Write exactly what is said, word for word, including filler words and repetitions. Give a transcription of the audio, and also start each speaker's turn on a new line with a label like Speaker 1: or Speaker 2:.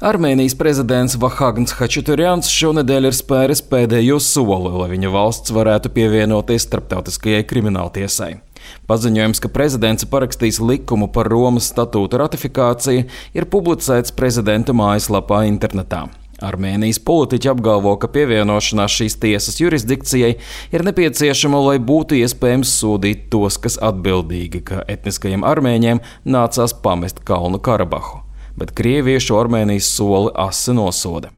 Speaker 1: Armēnijas prezidents Vahagns Hačaturjans šonedēļ ir spēris pēdējo soli, lai viņa valsts varētu pievienoties starptautiskajai krimināltiesai. Paziņojums, ka prezidents parakstīs likumu par Romas statūta ratifikāciju, ir publicēts prezidenta mājaslapā internetā. Armēnijas politiķi apgalvo, ka pievienošanās šīs tiesas jurisdikcijai ir nepieciešama, lai būtu iespējams sodīt tos, kas atbildīgi, ka etniskajiem armēņiem nācās pamest Kalnu Karabahu. Bet Krievija šo Armēnijas soli asi nosoda.